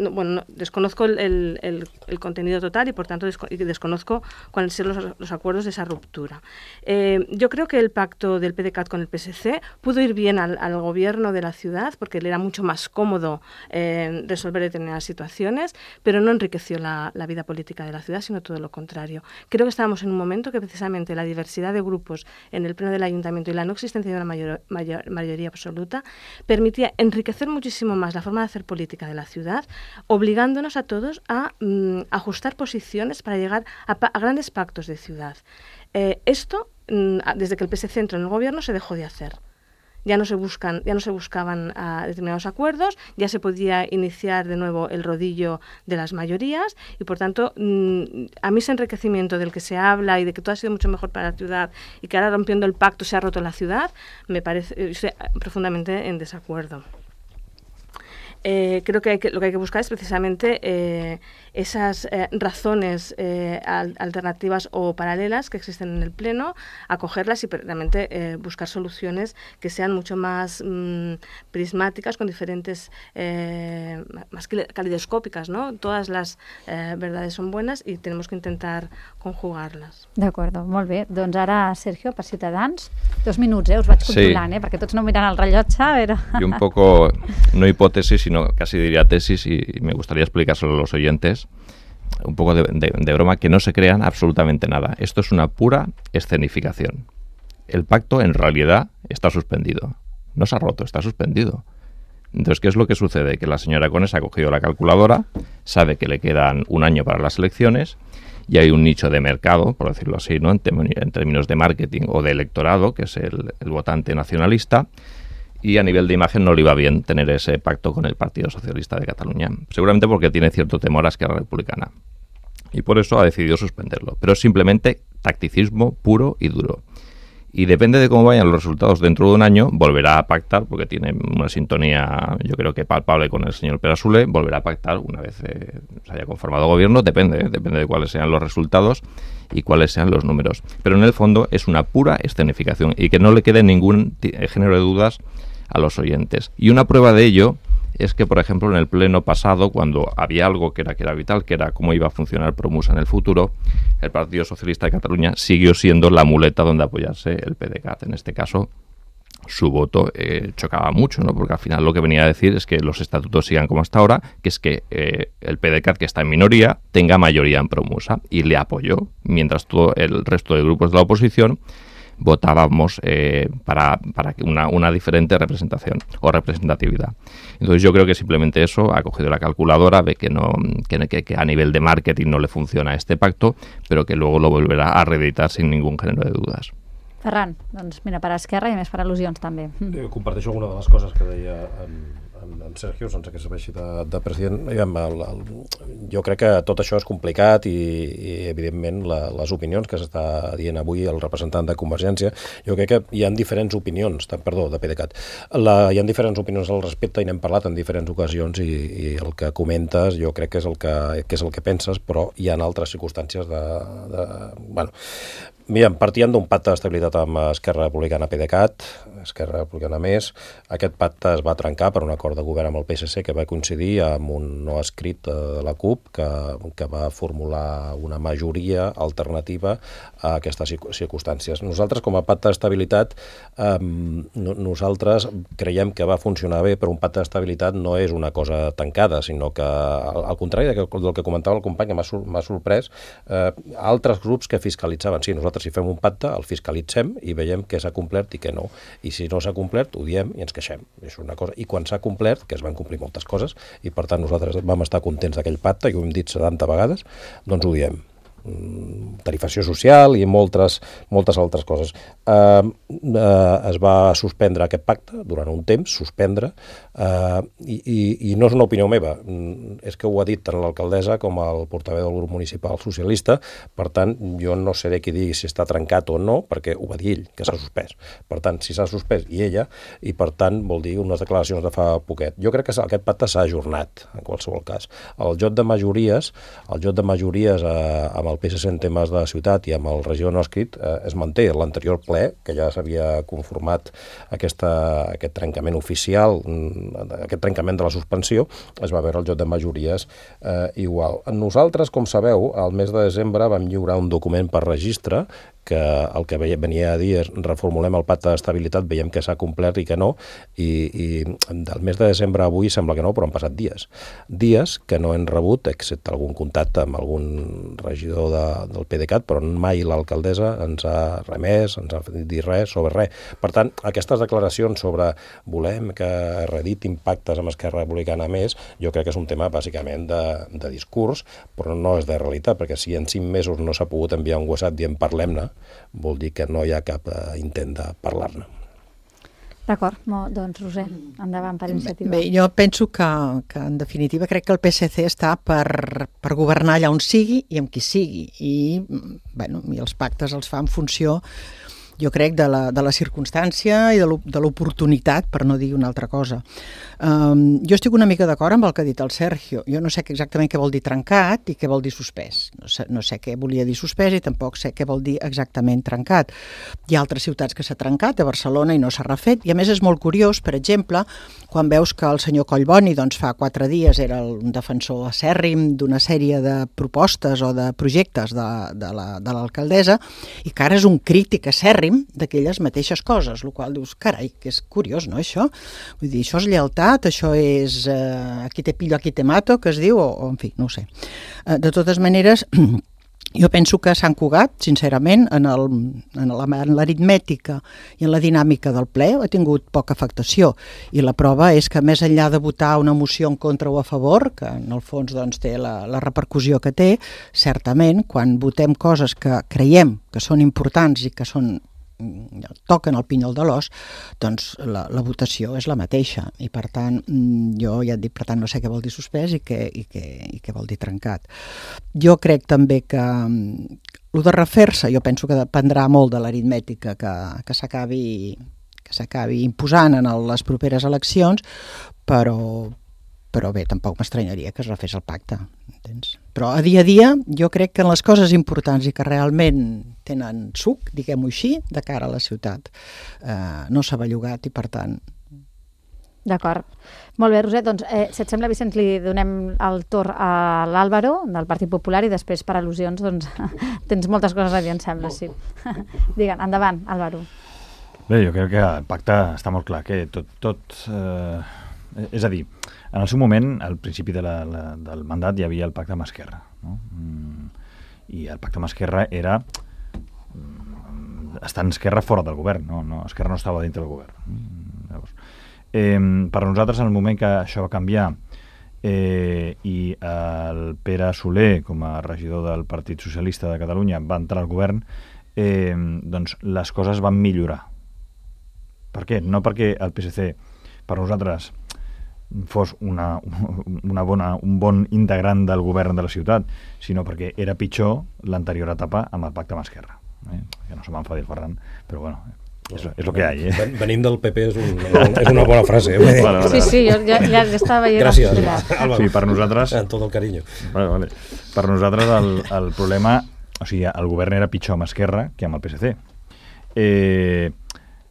no, bueno, no, desconozco el, el, el, el contenido total y por tanto desco desconozco cuáles son los, los acuerdos de esa ruptura. Eh, yo creo que el pacto del P D C A T con el P S C pudo ir bien al, al gobierno de la ciudad porque le era mucho más cómodo eh, resolver determinadas situaciones, pero no enriqueció la, la vida política de la ciudad, sino todo lo contrario. Creo que estábamos en un momento que precisamente la diversidad de grupos en el pleno del ayuntamiento y la no existencia de una mayor, mayor mayoría absoluta, permitía enriquecer muchísimo más la forma de hacer política de la ciudad, obligándonos a todos a mm, ajustar posiciones para llegar a, a grandes pactos de ciudad. Eh, esto, mm, desde que el P S C entró en el gobierno, se dejó de hacer. Ya no se buscan, ya no se buscaban uh, determinados acuerdos, ya se podía iniciar de nuevo el rodillo de las mayorías y por tanto mmm, a mí ese enriquecimiento del que se habla y de que todo ha sido mucho mejor para la ciudad y que ahora rompiendo el pacto se ha roto la ciudad, me parece, estoy profundamente en desacuerdo. Eh, creo que, hay que lo que hay que buscar es precisamente eh, esas eh, razones eh, al, alternativas o paralelas que existen en el Pleno, acogerlas y realmente eh, buscar soluciones que sean mucho más mmm, prismáticas, con diferentes, eh, más calidoscópicas, ¿no? Todas las eh, verdades son buenas y tenemos que intentar conjugarlas. D'acord, molt bé. Doncs ara, Sergio, per Ciutadans, dos minuts, eh? Us vaig controlant, sí. eh? Perquè tots no miran el rellotge. Però... Y un poco, no hipótesis, sino casi diría tesis, y me gustaría explicárselo a los oyentes, un poco de, de, de broma, que no se crean absolutamente nada. Esto es una pura escenificación. El pacto en realidad está suspendido. No se ha roto, está suspendido. Entonces, ¿qué es lo que sucede? Que la señora Cones ha cogido la calculadora, sabe que le quedan un año para las elecciones y hay un nicho de mercado, por decirlo así, ¿no? en, en términos de marketing o de electorado, que es el, el votante nacionalista, y a nivel de imagen no le iba bien tener ese pacto con el Partido Socialista de Cataluña, seguramente porque tiene cierto temor a Esquerra Republicana. Y por eso ha decidido suspenderlo. Pero es simplemente tacticismo puro y duro. Y depende de cómo vayan los resultados dentro de un año, volverá a pactar, porque tiene una sintonía, yo creo que palpable con el señor Perasule, volverá a pactar una vez eh, se haya conformado gobierno, depende, ¿eh? depende de cuáles sean los resultados y cuáles sean los números. Pero en el fondo es una pura escenificación y que no le quede ningún género de dudas a los oyentes. Y una prueba de ello es que, por ejemplo, en el pleno pasado, cuando había algo que era, que era vital, que era cómo iba a funcionar Promusa en el futuro, el Partido Socialista de Cataluña siguió siendo la muleta donde apoyarse el P D C A T. En este caso, su voto eh, chocaba mucho, ¿no? Porque al final lo que venía a decir es que los estatutos sigan como hasta ahora, que es que eh, el P D C A T, que está en minoría, tenga mayoría en Promusa, y le apoyó, mientras todo el resto de grupos de la oposición votábamos eh, para, para una, una diferente representación o representatividad. Entonces yo creo que simplemente eso, ha cogido la calculadora, ve que, no, que, que, que a nivel de marketing no le funciona este pacto, pero que luego lo volverá a reeditar sin ningún género de dudas. Ferran, doncs mira, per Esquerra i més per al·lusions també. Eh, comparteixo alguna de les coses que deia en, en en, en Sergio, sense que serveixi de, de president, el, el, jo crec que tot això és complicat i, i evidentment, la, les opinions que s'està dient avui el representant de Convergència, jo crec que hi ha diferents opinions, perdó, de PDeCAT, la, hi ha diferents opinions al respecte i n'hem parlat en diferents ocasions i, i el que comentes jo crec que és el que, que és el que penses, però hi ha altres circumstàncies de... de bueno, mira, partíem d'un pacte d'estabilitat amb Esquerra Republicana PDeCAT, Esquerra Republicana Més. Aquest pacte es va trencar per un acord de govern amb el P S C que va coincidir amb un no escrit de la CUP que, que va formular una majoria alternativa a aquestes circumstàncies. Nosaltres, com a pacte d'estabilitat, eh, nosaltres creiem que va funcionar bé, però un pacte d'estabilitat no és una cosa tancada, sinó que, al, al contrari del que, del que comentava el company, que m'ha m'ha sorprès, eh, altres grups que fiscalitzaven. Sí, nosaltres si fem un pacte, el fiscalitzem i veiem què s'ha complert i què no. I si no s'ha complert, ho diem i ens queixem. És una cosa. I quan s'ha complert, que es van complir moltes coses, i per tant nosaltres vam estar contents d'aquell pacte, i ho hem dit setanta vegades, doncs ho diem. Tarifació social i moltes, moltes altres coses. Eh, eh, es va suspendre aquest pacte durant un temps, suspendre, eh, i, i, i no és una opinió meva, és que ho ha dit tant l'alcaldessa com el portaveu del grup municipal socialista, per tant, jo no seré qui digui si està trencat o no, perquè ho va dir ell, que s'ha suspès. Per tant, si s'ha suspès, i ella, i per tant, vol dir unes declaracions de fa poquet. Jo crec que aquest pacte s'ha ajornat, en qualsevol cas. El joc de majories, el joc de majories eh, amb el P S C en temes de ciutat i amb el regidor no escrit eh, es manté. L'anterior ple, que ja s'havia conformat aquesta, aquest trencament oficial, aquest trencament de la suspensió, es va veure el joc de majories eh, igual. Nosaltres, com sabeu, al mes de desembre vam lliurar un document per registre que el que venia a dir és reformulem el pacte d'estabilitat, veiem que s'ha complert i que no, i, i del mes de desembre a avui sembla que no, però han passat dies. Dies que no hem rebut, excepte algun contacte amb algun regidor de, del PDeCAT, però mai l'alcaldessa ens ha remès, ens ha dit res sobre res. Per tant, aquestes declaracions sobre volem que redit impactes amb Esquerra Republicana Més, jo crec que és un tema bàsicament de, de discurs, però no és de realitat, perquè si en cinc mesos no s'ha pogut enviar un WhatsApp dient parlem-ne, vol dir que no hi ha cap eh, intent de parlar-ne. D'acord, doncs Roser, endavant per iniciativa. Bé, jo penso que, que en definitiva crec que el P S C està per, per governar allà on sigui i amb qui sigui, i, bueno, i els pactes els fa en funció, jo crec, de la, de la circumstància i de l'oportunitat, per no dir una altra cosa. Um, jo estic una mica d'acord amb el que ha dit el Sergio. Jo no sé exactament què vol dir trencat i què vol dir suspès. No sé, no sé què volia dir suspès i tampoc sé què vol dir exactament trencat. Hi ha altres ciutats que s'ha trencat, a Barcelona, i no s'ha refet. I a més és molt curiós, per exemple, quan veus que el senyor Collboni doncs, fa quatre dies era un defensor acèrrim d'una sèrie de propostes o de projectes de, de l'alcaldessa, i que ara és un crític acèrrim d'aquelles mateixes coses, el qual dius, carai, que és curiós, no, això? Vull dir, això és lleialtat, això és eh, aquí te pillo, aquí te mato, que es diu, o, o en fi, no ho sé. Eh, de totes maneres, jo penso que Sant Cugat, sincerament, en l'aritmètica i en la dinàmica del ple ha tingut poca afectació, i la prova és que més enllà de votar una moció en contra o a favor, que en el fons doncs, té la, la repercussió que té, certament, quan votem coses que creiem que són importants i que són toquen el pinyol de l'os, doncs la, la votació és la mateixa, i per tant jo ja et dic, per tant no sé què vol dir suspès i què, i què, i què vol dir trencat. Jo crec també que el de refer-se, jo penso que dependrà molt de l'aritmètica que, que s'acabi que s'acabi imposant en les properes eleccions, però però bé, tampoc m'estranyaria que es refés el pacte, entens? Però a dia a dia jo crec que en les coses importants i que realment tenen suc, diguem-ho així, de cara a la ciutat, eh, no s'ha bellugat i per tant... D'acord. Molt bé, Roser, doncs eh, si et sembla, Vicenç, li donem el torn a l'Àlvaro, del Partit Popular, i després per al·lusions doncs tens moltes coses a dir, em sembla, sí. Digue'm, endavant, Àlvaro. Bé, jo crec que el pacte està molt clar, que tot... tot eh, és a dir, en el seu moment, al principi de la, la, del mandat, hi havia el pacte amb Esquerra, no? Mm, i el pacte amb Esquerra era mm, estar en Esquerra fora del govern, no? No, Esquerra no estava dintre del govern. Mm, llavors, eh, per nosaltres, en el moment que això va canviar eh, i el Pere Soler, com a regidor del Partit Socialista de Catalunya, va entrar al govern, eh, doncs les coses van millorar. Per què? No perquè el P S C, per nosaltres, fos una, una bona, un bon integrant del govern de la ciutat, sinó perquè era pitjor l'anterior etapa amb el pacte amb Esquerra. Eh? Que no se m'enfadi el Ferran, però bueno, és, és el que hi ha. Eh? Venim del P P és, un, és una bona frase. Eh? Vale, vale, sí, sí, jo ja, ja estava veient. Gràcies, Álvaro. Sí, per nosaltres... En tot el carinyo. Vale, vale. Per nosaltres el, el problema... O sigui, el govern era pitjor amb Esquerra que amb el P S C. Eh...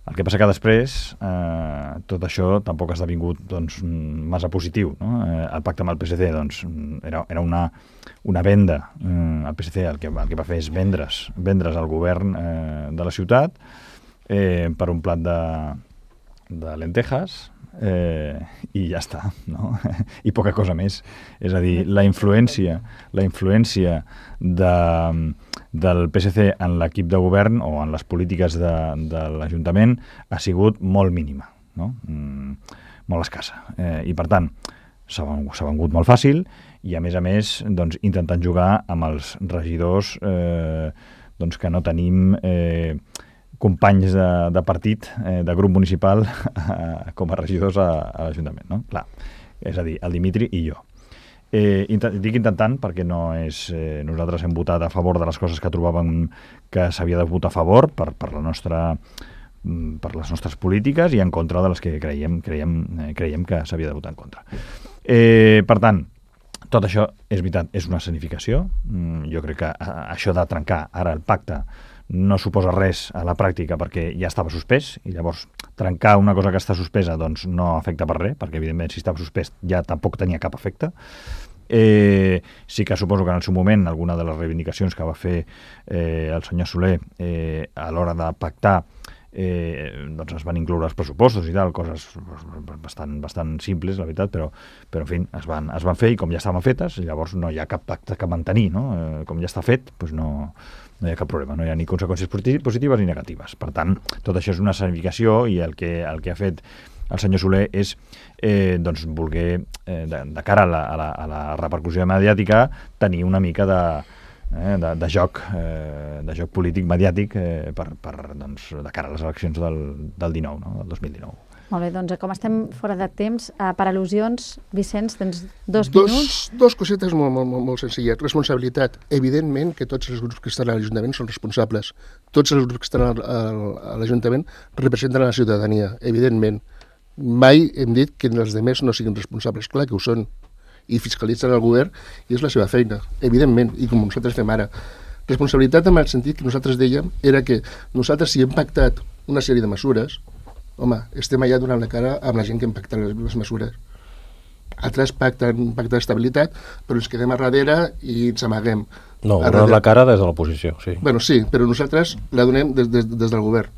El que passa que després eh, tot això tampoc ha esdevingut doncs, massa positiu. No? Eh, el pacte amb el P S C doncs, era, era una, una venda. Eh, el P S C el que, el que va fer és vendre's, vendre's al govern eh, de la ciutat eh, per un plat de, de lentejas eh, i ja està. No? I poca cosa més. És a dir, la influència, la influència de... del P S C en l'equip de govern o en les polítiques de, de l'Ajuntament ha sigut molt mínima, no? Mm, molt escassa. Eh, I, per tant, s'ha vengut molt fàcil i, a més a més, doncs, intentant jugar amb els regidors eh, doncs, que no tenim eh, companys de, de partit, eh, de grup municipal, eh, com a regidors a, a l'Ajuntament. No? Clar, és a dir, el Dimitri i jo. Eh, intent, dic intentant perquè no és... Eh, nosaltres hem votat a favor de les coses que trobàvem que s'havia de votar a favor per, per, la nostra, per les nostres polítiques i en contra de les que creiem, creiem, eh, creiem que s'havia de votar en contra. Eh, per tant, tot això és veritat, és una escenificació. Mm, jo crec que a, això de trencar ara el pacte no suposa res a la pràctica perquè ja estava suspès i llavors trencar una cosa que està suspesa doncs no afecta per res, perquè evidentment si estava suspès ja tampoc tenia cap efecte. Eh, sí que suposo que en el seu moment alguna de les reivindicacions que va fer eh, el senyor Soler eh, a l'hora de pactar eh, doncs es van incloure els pressupostos i tal, coses bastant, bastant simples, la veritat, però, però en fi, es van, es van fer i com ja estaven fetes, llavors no hi ha cap pacte que mantenir, no? Eh, com ja està fet, doncs no, no hi ha cap problema, no hi ha ni conseqüències positives ni negatives. Per tant, tot això és una escenificació i el que, el que ha fet el senyor Soler és eh, doncs, voler, eh, de, de cara a la, a, la, a la repercussió mediàtica, tenir una mica de, eh, de, de, joc, eh, de joc polític mediàtic eh, per, per, doncs, de cara a les eleccions del, del dinou, no? Del dos mil dinou. Molt bé, doncs com estem fora de temps, eh, per al·lusions, Vicenç, tens dos, dos minuts. Dos cosetes molt, molt, molt, molt senzilles. Responsabilitat. Evidentment que tots els grups que estan a l'Ajuntament són responsables. Tots els grups que estan al, al, a l'Ajuntament representen a la ciutadania, evidentment. Mai hem dit que els altres no siguin responsables. Clar que ho són. I fiscalitzen el govern i és la seva feina, evidentment, i com nosaltres fem ara. Responsabilitat en el sentit que nosaltres dèiem era que nosaltres si hem pactat una sèrie de mesures, home, estem allà donant la cara amb la gent que hem pactat les, les mesures. Altres pacten un pacte d'estabilitat, però ens quedem a darrere i ens amaguem. No, donem la cara des de l'oposició, sí. Bueno, sí, però nosaltres la donem des, des, des del govern.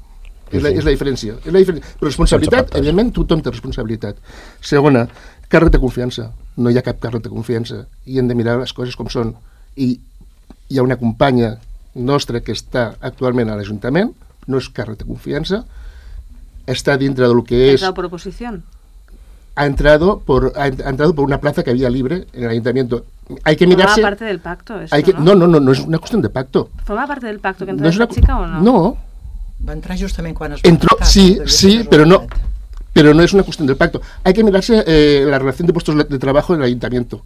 Sí, és, la, sí. és la diferència. És la diferència. Però responsabilitat, evidentment, tothom té responsabilitat. Segona, càrrec de confiança. No hi ha cap càrrec de confiança. I hem de mirar les coses com són. I hi ha una companya nostra que està actualment a l'Ajuntament, no és càrrec de confiança, està dintre de lo que es... ¿Ha entrado por oposición? Ha entrado por, ha entrado por una plaza que había libre en el Ayuntamiento. Hay que mirarse... ¿Forma parte del pacto esto, hay que, no? No, no, no, no es una cuestión de pacto. ¿Forma parte del pacto que entró no esta una... chica o no? No. Va entrar justament quan es va Entró, pactar, sí, no sí, pero no, pero no es una cuestión del pacto. Hay que mirarse eh, la relación de puestos de trabajo en el Ayuntamiento.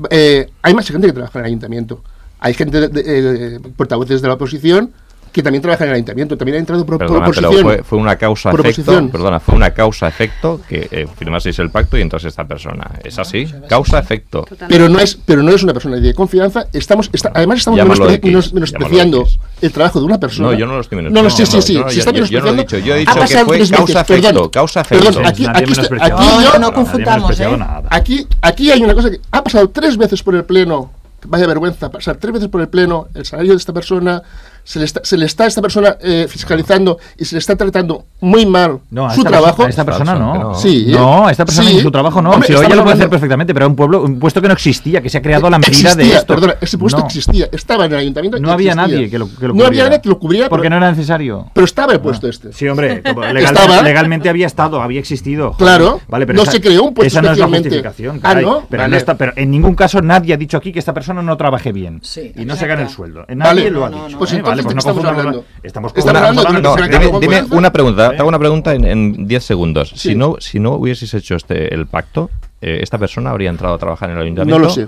Eh, hay más gente que trabaja en el Ayuntamiento. Hay gente, de, de, eh, portavoces de la oposición que también trabaja en el Ayuntamiento. También ha entrado por, perdona, por oposición. Pero fue, fue una causa-efecto, perdona, fue una causa-efecto que eh, firmaseis el pacto y entrase esta persona. ¿Es así? Causa-efecto. Pero no es, pero no es una persona de confianza. Estamos, está, además estamos menospe menos, menospreciando el trabajo de una persona. No, yo no lo estoy menospreciando. No, no, sí, sí, sí. No, no, se yo, está yo, yo no lo he dicho. Yo he dicho que fue causa-efecto. Causa-efecto. Perdón, aquí, aquí, aquí, aquí no, yo, no confundamos, ¿eh? Aquí, aquí hay una cosa que ha pasado tres veces por el Pleno. Vaya vergüenza, pasar tres veces por el Pleno el salario de esta persona, se le está, se le está a esta persona eh, fiscalizando y se le está tratando muy mal no, su trabajo. A esta persona no. no. Sí, no, a esta persona sí. y su trabajo no. Hombre, si ella lo puede hablando... hacer perfectamente, pero era un pueblo, un puesto que no existía, que se ha creado a la medida existía, de esto. Perdona, ese puesto no. existía, estaba en el ayuntamiento. No había existía. nadie que lo, que lo No había nadie que lo cubriera. Porque pero, no era necesario. Pero estaba el puesto no. este. Sí, hombre, legal, estaba, legalmente había estado, había existido. Claro, vale, pero no esa, se creó un puesto esa no especialmente. Es la justificación, caray, ah, ¿no? Pero, vale. no está, pero en ningún caso nadie ha dicho aquí que esta persona no trabaje bien. Sí, y no se gane el sueldo. Nadie vale, lo ha no, dicho. no, pues ¿eh? entonces, vale, pues no estamos hablando. Estamos Estamos hablando de no, que dime, se dime una pregunta, te hago una pregunta en diez segundos. Sí. Si no, si no hubieses hecho este el pacto, eh, ¿esta persona habría entrado a trabajar en el ayuntamiento? No lo sé.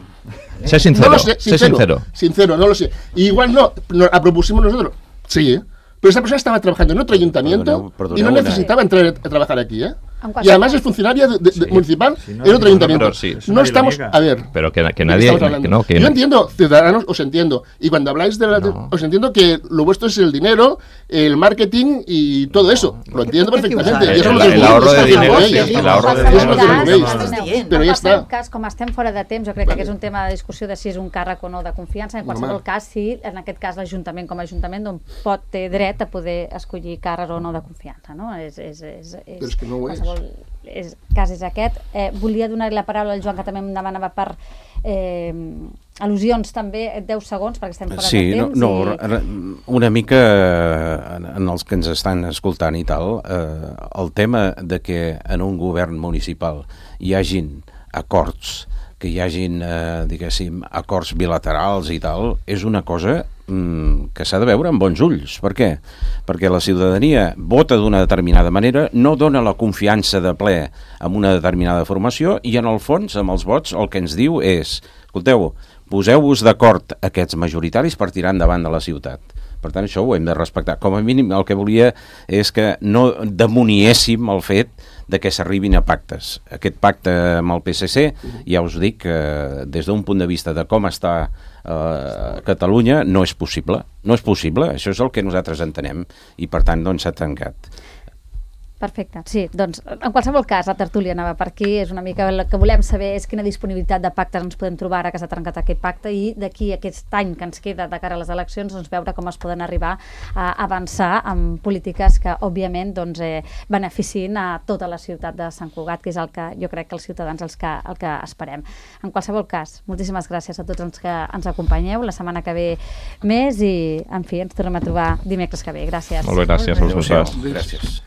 Sé sincero, no lo sé, sé sincero. Sincero, no lo sé. Y igual no, no la propusimos nosotros. Sí, ¿eh? Pero esa persona estaba trabajando en otro ayuntamiento Perdoneu, perdoneu y no una- necesitaba entrar a trabajar aquí, ¿eh? En Y además es funcionaria de, de, Sí. de municipal Sí, no, en otro no, ayuntamiento. pero sí. No estamos... A ver... Pero que, que ¿de nadie... qué estamos hablando? Que no, que Yo entiendo, ciudadanos, os entiendo. Y cuando habláis de la... No. Os entiendo que lo vuestro es el dinero, el marketing y todo eso. Lo entiendo ¿Por qué perfectamente. usar Y eso el- lo el veis, ahorro es de que lo dinero, veis. sí, el ahorro de Eso dinero. es lo que lo veis. Estàs Però ja en està. qualsevol cas, com estem fora de temps, jo crec que aquest és un tema de discussió de si és un càrrec o no de confiança. En qualsevol Home. cas, si en aquest cas l'Ajuntament com a Ajuntament doncs, pot té dret a poder escollir càrrecs o no de confiança, no? És, és, és, és, Però és que no ho és. qualsevol és, cas és aquest. Eh, volia donar-li la paraula al Joan, que també em demanava per eh, al·lusions també, deu segons, perquè estem fora Sí, de no, temps. no, i... re- una mica eh, en, en els que ens estan escoltant i tal, eh, el tema de que en un govern municipal hi hagin acords, que hi hagin, eh, diguéssim, acords bilaterals i tal, és una cosa mm, que s'ha de veure amb bons ulls. Per què? Perquè la ciutadania vota d'una determinada manera, no dona la confiança de ple amb una determinada formació i en el fons, amb els vots, el que ens diu és, escolteu, poseu-vos d'acord aquests majoritaris per tirar endavant de la ciutat. Per tant, això ho hem de respectar. Com a mínim, el que volia és que no demoniéssim el fet de que s'arribin a pactes. Aquest pacte amb el P S C, ja us dic que des d'un punt de vista de com està eh, Catalunya, no és possible. No és possible, això és el que nosaltres entenem, i per tant, doncs, s'ha tancat. Perfecte, sí, doncs en qualsevol cas la tertúlia anava per aquí, és una mica el que volem saber és quina disponibilitat de pactes ens podem trobar ara que s'ha trencat aquest pacte i d'aquí a aquest any que ens queda de cara a les eleccions doncs veure com es poden arribar a avançar amb polítiques que òbviament doncs, eh, beneficin a tota la ciutat de Sant Cugat, que és el que jo crec que els ciutadans els que, el que esperem. En qualsevol cas, moltíssimes gràcies a tots els que ens acompanyeu, la setmana que ve més i en fi, ens tornem a trobar dimecres que ve. Gràcies. Molt bé, gràcies a vosaltres. Gràcies.